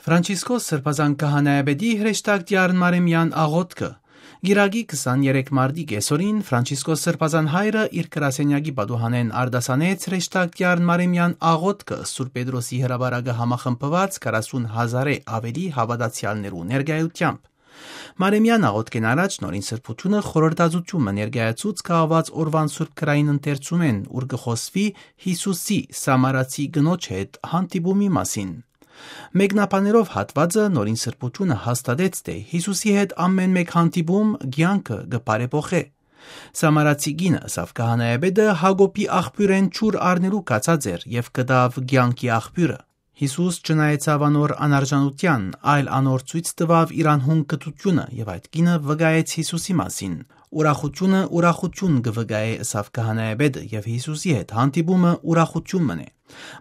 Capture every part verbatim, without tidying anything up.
Ֆրանցիսկոս Սրբազան Քահանայապետի հրեշտակտիարն Մարեմեան աղօթքը։ Կիրակի քսաներեք մարտի կեսօրին Ֆրանցիսկոս Սրբազան հայրը իր գրասենյակի պատուհանէն արտասանեց հրեշտակտիարն Մարեմեան աղօթքը Սուրբ Պետրոսի հրապարակը համախմբուած քառասուն հազարէ աւելի հաւատացեալներու ներկայութեամբ։ Մարեմեան աղօթքէն առաջ Նորին Սրբութիւնը խորհրդածութիւն մը ներկայացուց կահաւած օրուան Սուրբ Գրային ընթերցումէն, ուր կը խօսուի Յիսուսի Սամարացի կնոջ հետ հանդիպումի մասին։ Մեկնաբանելով հատուածը, Նորին Սրբութիւնը հաստատեց, թէ Յիսուսի հետ ամէն մէկ հանդիպում կեանքը կը բարեփոխէ։ Սամարացի կինը ըսաւ քահանայապետը Յակոբի աղբիւրէն ջուր առնելու գացած էր եւ գտաւ կեանքի աղբիւրը։ Յիսուս չնայեցաւ անոր անարժանութեան, այլ անոր ցոյց տուաւ իր անհուն կրթութիւնը եւ այդ կինը վկայեց Յիսուսի մասին։ «Ուրախութիւնը ուրախութիւն կը վկայէ», ըսաւ քահանայապետը, եւ Յիսուսի հետ հանդիպումը ուրախութիւն մըն է։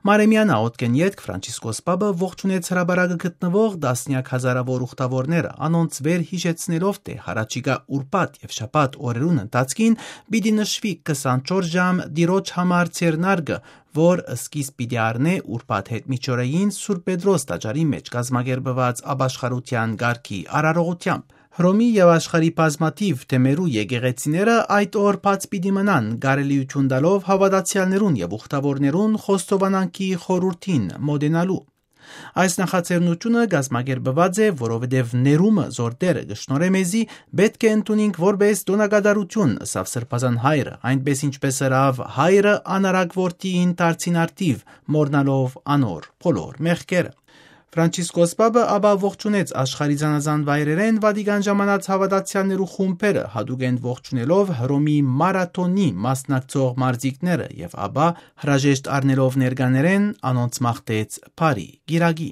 Մարեմեան աղօթքէն ետք Ֆրանցիսկոս Պապը ողջունեց հրապարակը գտնուող տասնեակ հազարաւոր ուխտաւորները, անոնց վեր յիշեցնելով, թէ յառաջիկայ ուրբաթ եւ շաբաթ օրերուն ընթացքին պիտի նշուի քսանչորս ժամ Տիրոջ համար ձեռնարկը, որ սկիզբ պիտի առնէ ուրբաթ յետմիջօրեին Սուրբ Պետրոս տաճարի մէջ կազմակերպուած ապաշխարութեան կարգի արարողութեամբ։ Հռոմի եւ աշխարհի բազմաթիւ թեմերու եկեղեցիները այդ օր բաց պիտի մնան, կարելիութիւն տալով հաւատացեալներուն եւ ուխտաւորներուն խոստովանանքի խորհուրդին մօտենալու։ Այս նախաձեռնութիւնը կազմակերպուած է, որովհետեւ ներումը, զոր Տէրը կը շնորհէ մեզի, պէտք է ընդունինք որպէս տօնակատարութիւն, ըսաւ Սրբազան հայրը, այնպէս ինչպէս ըրաւ հայրը անարակ որդիին դարձին առթիւ, մոռնալով անոր բոլոր մեղքերը։ Ֆրանցիսկոս Պապը ապա ողջունեց աշխարհի զանազան վայրերէն Վատիկան ժամանած հաւատացեալներու խումբերը, յատուկէն ողջունելով Հռոմի մարաթոնի մասնակցող մարզիկները եւ ապա հրաժեշտ առնելով ներկաներէն անոնց մաղթեց բարի կիրակի։